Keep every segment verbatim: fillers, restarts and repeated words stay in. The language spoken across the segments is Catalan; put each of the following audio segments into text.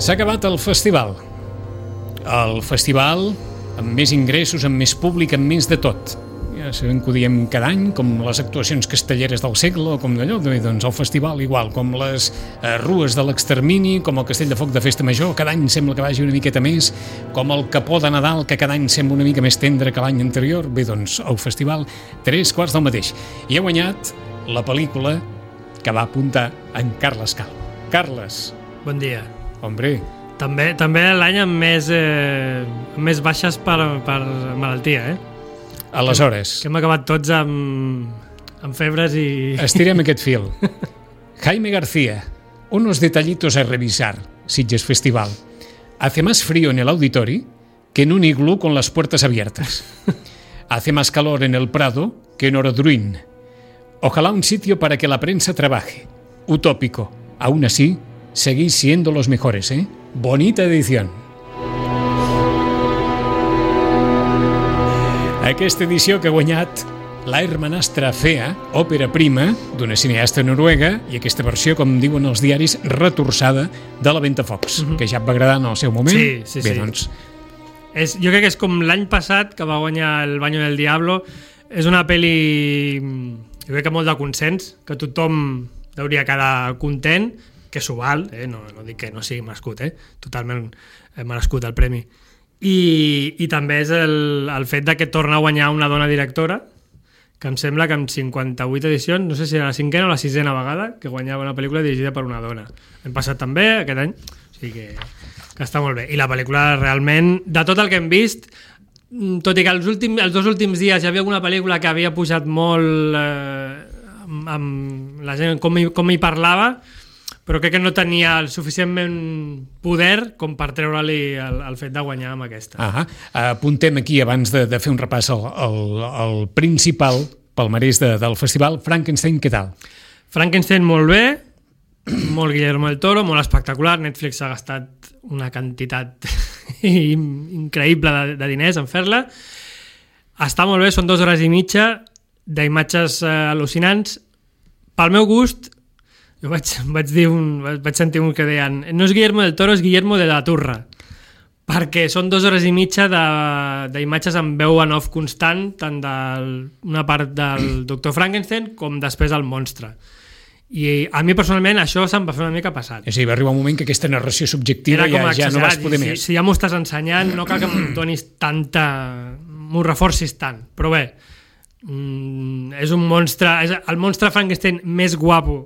S'ha acabat el festival. El festival amb més ingressos, amb més públic, amb més de tot. Ja sabem que ho diem cada any, com les actuacions castelleres del segle, o com d'allò, doncs el festival igual, com les eh, rues de l'extermini, com el castell de foc de Festa Major, cada any sembla que vagi una miqueta més, com el capó de Nadal, que cada any sembla una mica més tendre que l'any anterior. Bé, doncs el festival, tres quarts del mateix. I ha guanyat la pel·lícula que va apuntar en Carles Cal. Carles. Bon dia. Hombre. També, també l'any amb més, eh, amb més baixes per, per malaltia, eh? Aleshores. Que, que hem acabat tots amb, amb febres i... Estirem aquest fil. Jaime García, unos detallitos a revisar, Sitges Festival. Hace más frío en el auditorio que en un iglú con las puertas abiertas. Hace más calor en el Prado que en Orodruin. Ojalá un sitio para que la prensa trabaje. Utópico. Aún así, seguís siendo los mejores, ¿eh? Bonita edición. Aquesta edició que ha guanyat La hermanastra fea, òpera prima d'una cineasta noruega, i aquesta versió, com diuen els diaris, retorçada de la Ventafocs, uh-huh. que ja et va agradar en el seu moment. Sí, sí, Bé, sí. Doncs... És, jo crec que és com l'any passat, que va guanyar El Baño del Diablo. És una pel·li, jo crec que molt de consens, que tothom hauria quedar content, que s'ho val, eh? no, no dic que no sigui merescut, eh? totalment merescut el premi. I, i també és el, el fet de que torna a guanyar una dona directora, que em sembla que amb cinquanta-vuit edicions, no sé si era la cinquena o la sisena vegada, que guanyava una pel·lícula dirigida per una dona. Hem passat també aquest any, o sigui que, que està molt bé. I la pel·lícula realment, de tot el que hem vist, tot i que els, últims, els dos últims dies hi havia alguna pel·lícula que havia pujat molt eh, amb, amb la gent, com hi, com hi parlava, però crec que no tenia el suficientment poder com per treure-li el, el fet de guanyar amb aquesta. Ah, apuntem aquí, abans de, de fer un repàs al, al, al principal palmarès de, del festival. Frankenstein, què tal? Frankenstein molt bé, molt Guillermo del Toro, molt espectacular. Netflix ha gastat una quantitat increïble de, de diners en fer-la. Està molt bé, són dues hores i mitja d'imatges eh, al·lucinants. Pel meu gust, jo vaig, vaig, dir un, vaig sentir un que deien no és Guillermo del Toro, és Guillermo de la Turra, perquè són dues hores i mitja d'imatges amb veu en off constant, tant d'una part del doctor Frankenstein com després el monstre. I a mi personalment això se'm va fer una mica passat. És a dir, va arribar un moment que aquesta narració subjectiva ja, ja no vas poder si, més. Si ja m'ho estàs ensenyant, no cal que m'ho donis tanta... m'ho reforcis tant. Però bé, mm, és un monstre... És el monstre Frankenstein més guapo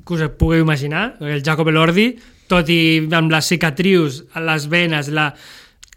que us pugueu imaginar, el Jacob Elordi, tot i amb les cicatrius, les venes, la...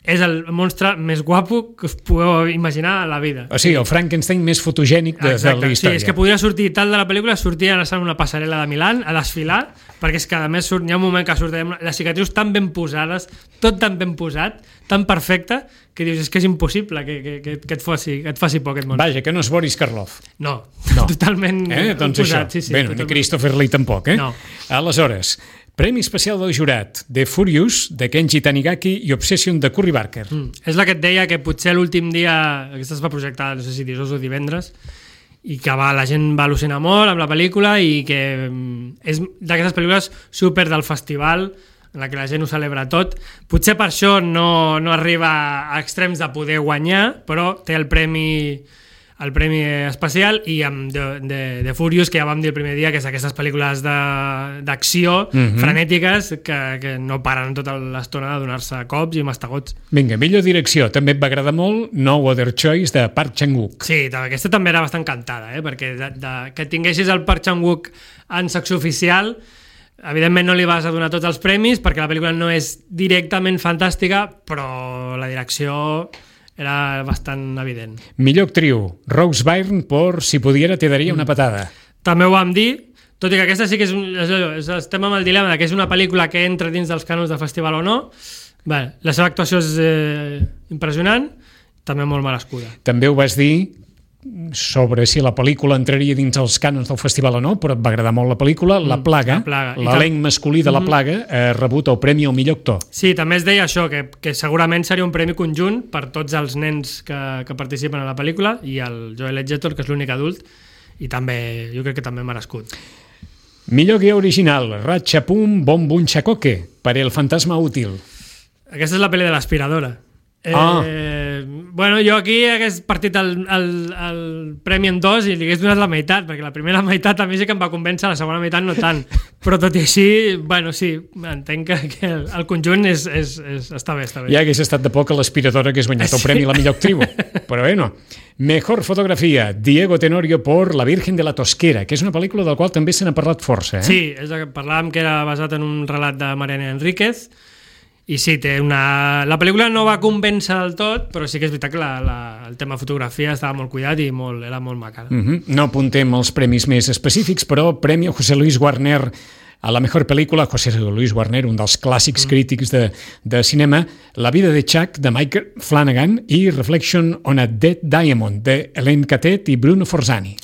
és el monstre més guapo que us pugueu imaginar a la vida. O sigui, el Frankenstein més fotogènic de, de la història. Sí, és que podria sortir tal de la pel·lícula, sortir a una passarel·la de Milà a desfilar, perquè és que a més surt, hi ha un moment que sortirem les cicatrius tan ben posades, tot tan ben posat, tan perfecte, que dius, és que és impossible que, que, que, que, et, faci, que et faci por aquest monstre. Vaja, que no és Boris Karloff. No, no. totalment eh? doncs posat. Això. Sí, sí, Bé, totalment. ni Christopher Lee tampoc, eh? No. Aleshores, Premi especial del jurat, The Furious, de Kenji Tanigaki i Obsession, de Curry Barker. Mm. És la que et deia que potser l'últim dia, aquesta es va projectar, no sé si dijous o divendres, i que va, la gent va al·lucinar molt amb la pel·lícula i que és d'aquestes pel·lícules super del festival en la que la gent ho celebra tot. Potser per això no, no arriba a extrems de poder guanyar, però té el premi el premi especial, i amb The, The, The Furious, que ja vam dir el primer dia, que és aquestes pel·lícules d'acció mm-hmm. frenètiques que, que no paren tota l'estona de donar-se cops i mastegots. Vinga, millor direcció. També et va agradar molt No Other Choice, de Park Chan-wook. Sí, aquesta també era bastant cantada, eh? perquè de, de, que tinguessis el Park Chan-wook en secció oficial, evidentment no li vas a donar tots els premis, perquè la pel·lícula no és directament fantàstica, però la direcció era bastant evident. Millor actriu, Rose Byrne, por Si pudiera te daria una patada. També ho vam dir, tot i que aquesta sí que és, un, és estem amb el dilema de que és una pel·lícula que entra dins dels cànons del festival o no. Bé, la seva actuació és eh, impressionant, també molt merescuda. També ho vas dir sobre si la pel·lícula entraria dins els cànons del festival o no, però et va agradar molt la pel·lícula. La Plaga, l'elenc masculí de La Plaga, ha rebut el premi al millor actor. Sí, també es deia això, que, que segurament seria un premi conjunt per tots els nens que, que participen a la pel·lícula i el Joel Edgerton, que és l'únic adult, i també jo crec que també merescut. Millor guió original, Ratchapum Bom Bum Chacoque, per El fantasma útil. Aquesta és la pel·li de l'aspiradora. Eh, Ah. Bueno, jo aquí hagués partit el, el, el premi en dos i li hagués donat la meitat, perquè la primera meitat a mi sí que em va convèncer, la segona meitat no tant. Però tot i així, bueno, sí, entenc que, que el, el conjunt és, és, és, està bé, està bé. Ja hagués estat de poc a l'aspiradora que has guanyat el premi a la millor actriu. Però bueno. Mejor fotografia, Diego Tenorio por La Virgen de la Tosquera, que és una pel·lícula del qual també se n'ha parlat força. Eh? Sí, és el que parlàvem, que era basat en un relat de Mariana Enríquez. I sí, té una... la pel·lícula no va convèncer del tot, però sí que és veritat que la, la, el tema fotografia estava molt cuidat i molt, era molt maca. Uh -huh. No apuntem els premis més específics, però Premi José Luis Warner a la mejor pel·lícula, José Luis Warner, un dels clàssics mm. crítics de, de cinema, La vida de Chuck, de Mike Flanagan, i Reflection on a Dead Diamond, de Hélène Catet i Bruno Forzani.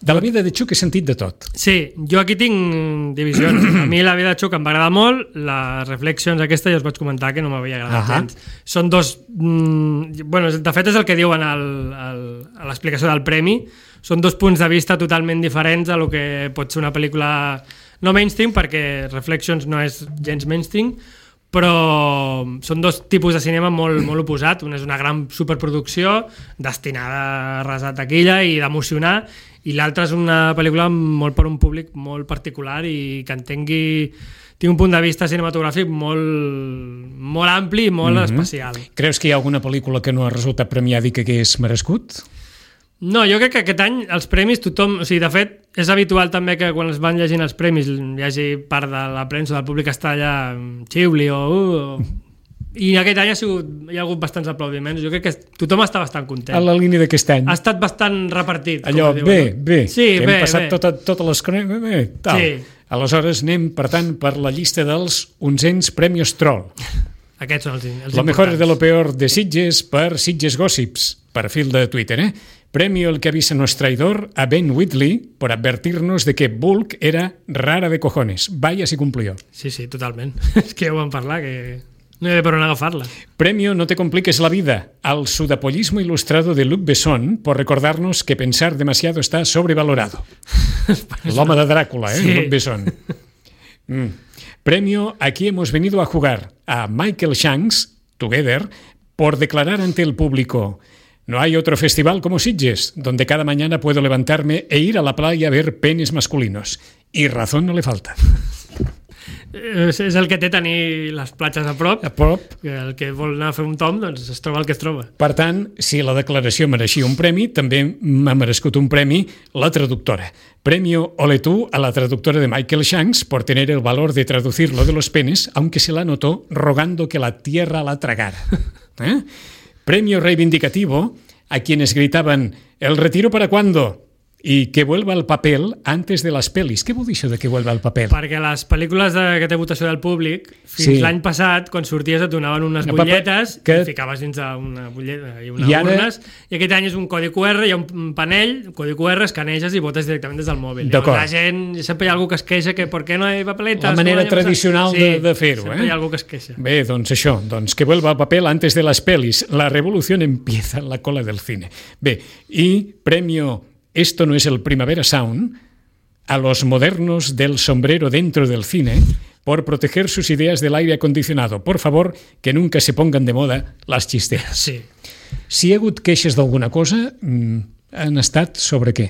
De La vida de Chuck he sentit de tot. Sí, jo aquí tinc divisions. A mi La vida de Chuck em va agradar molt, les Reflections aquesta ja us vaig comentar que no m'havia agradat uh -huh. gens. Són dos... Mm, bueno, de fet és el que diuen al, al, a l'explicació del premi. Són dos punts de vista totalment diferents a lo que pot ser una pel·lícula no mainstream, perquè Reflections no és gens mainstream, però són dos tipus de cinema molt, molt oposat. Un és una gran superproducció destinada a arrasar taquilla i d'emocionar, i l'altra és una pel·lícula molt per un públic molt particular i que entengui, té un punt de vista cinematogràfic molt, molt ampli i molt mm-hmm. especial. Creus que hi ha alguna pel·lícula que no ha resultat premiada i que hagués merescut? No, jo crec que aquest any els premis tothom... O sigui, de fet, és habitual també que quan es van llegint els premis hi hagi part de la premsa del públic que està allà xiuli o... Uh, o i aquest any ha sigut, hi ha hagut bastants aplaudiments. Jo crec que tothom està bastant content. A la línia d'aquest any. Ha estat bastant repartit. Allò, diuen, bé, no? bé, sí, que bé, hem passat bé. tota, totes les... Bé, bé, tal. Sí. Aleshores anem, per tant, per la llista dels onzens Premios Troll. Aquests són els, els Lo mejor de lo peor de Sitges per Sitges Gossips, perfil de Twitter, eh? Premio El que avisa no es traidor a Ben Whitley por advertirnos de que Bulk era rara de cojones. Vaya si cumplió. Sí, sí, totalment. És que ja ho vam parlar, que no hi ha per on agafar-la. Premio No te compliques la vida al sudapollismo ilustrado de Luc Besson por recordarnos que pensar demasiado está sobrevalorado. L'home de Dràcula, eh? Sí. Luc Besson. Mm. Premio Aquí hemos venido a jugar a Michael Shanks, Together, por declarar ante el público: no hay otro festival como Sitges, donde cada mañana puedo levantarme e ir a la playa a ver penes masculinos. Y razón no le falta. És el que té tenir les platges a prop. A prop. Que el que vol anar a fer un tom, doncs es troba el que es troba. Per tant, si la declaració mereixia un premi, també m'ha merescut un premi la traductora. Premio Ole tú a la traductora de Michael Shanks por tener el valor de traducir lo de los penes, aunque se la notó rogando que la tierra la tragara. ¿Eh? Premio reivindicativo a quienes gritaban ¿el retiro para cuándo? Y que vuelva al papel antes de les pel·lis. Què vol dir això de que vuelva al paper? Perquè les pel·lícules de, que té votació del públic, fins sí. l'any passat, quan sorties et donaven unes butlletes que... i ficaves dins d'una butlleta i unes I ara... urnes, i aquest any és un codi cu erre, hi ha un panell, un codi cu erre, escaneges i votes directament des del mòbil. Llavors, la gent, sempre hi ha algú que es queixa que per què no hi ha papeletes? La manera no tradicional sí, de, de fer-ho. Sempre eh? hi ha algú que es queixa. Bé, doncs això, doncs que vuelva al paper antes de les pel·lis. La revolució empieza en la cola del cine. Bé, i premio Esto no es el Primavera Sound a los modernos del sombrero dentro del cine por proteger sus ideas del aire acondicionado. Por favor, que nunca se pongan de moda las chisteras. Sí. Si hi ha hagut queixes d'alguna cosa, han estat sobre què?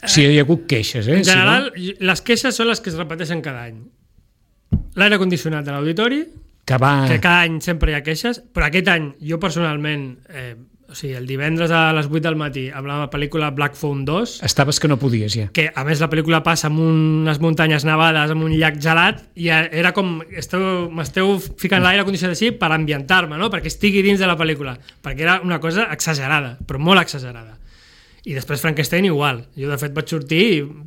Si hi ha hagut queixes, eh? En general, si no... les queixes són les que es repeteixen cada any. L'aire condicionat de l'auditori, que, va... que cada any sempre hi ha queixes, però aquest any jo personalment... Eh, o sigui, el divendres a les vuit del matí amb la pel·lícula Black Phone dos... Estaves que no podies, ja. Que, a més, la pel·lícula passa amb unes muntanyes nevades, amb un llac gelat, i era com... M'esteu ficant l'aire condicionat així per ambientar-me, no? Perquè estigui dins de la pel·lícula. Perquè era una cosa exagerada, però molt exagerada. I després Frankenstein igual. Jo, de fet, vaig sortir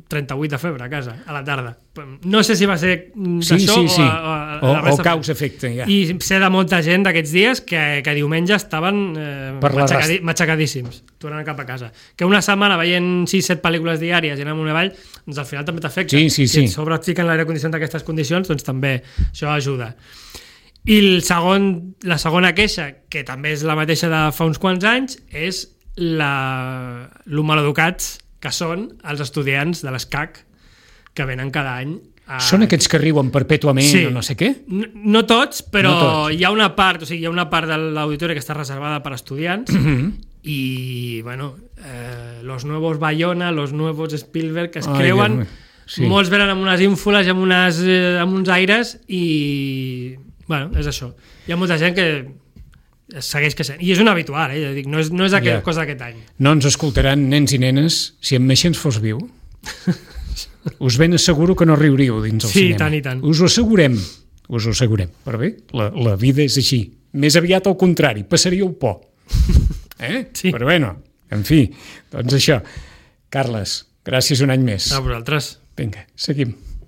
trenta-vuit de febre a casa, a la tarda. No sé si va ser d'això sí, sí, sí. o, a, a o, la resta. O causa-efecte, ja. I sé de molta gent d'aquests dies que, que diumenge estaven eh, matxacadi, matxacadíssims, tornant cap a casa. Que una setmana veient sis set pel·lícules diàries i anar amunt i avall, doncs al final també t'afecta. Sí, sí, sí. Si et sobre et fiquen l'aire condicionat d'aquestes condicions, doncs també això ajuda. I el segon, la segona queixa, que també és la mateixa de fa uns quants anys, és la, lo maleducats que són els estudiants de l'S C A C que venen cada any. A... Són aquests que riuen perpètuament sí. o no sé què? No, no tots, però no tots. hi ha una part, o sigui, hi ha una part de l'auditori que està reservada per estudiants mm-hmm. i, bueno, eh, los nuevos Bayona, los nuevos Spielberg, que es Ai, creuen, sí. molts venen amb unes ínfules i amb, unes, eh, amb uns aires i, bueno, és això. Hi ha molta gent que segueix que sent. I és un habitual, eh? Dic, no és, no és aquella yeah. cosa d'aquest any. No ens escoltaran nens i nenes si en Meixens fos viu. Us ben asseguro que no riuríeu dins el sí, cinema. Tant i tant. Us ho assegurem. Us ho assegurem. Però bé, la, la vida és així. Més aviat al contrari, passaríeu por. Eh? Sí. Però bueno, en fi, doncs això. Carles, gràcies un any més. A vosaltres. Vinga, seguim.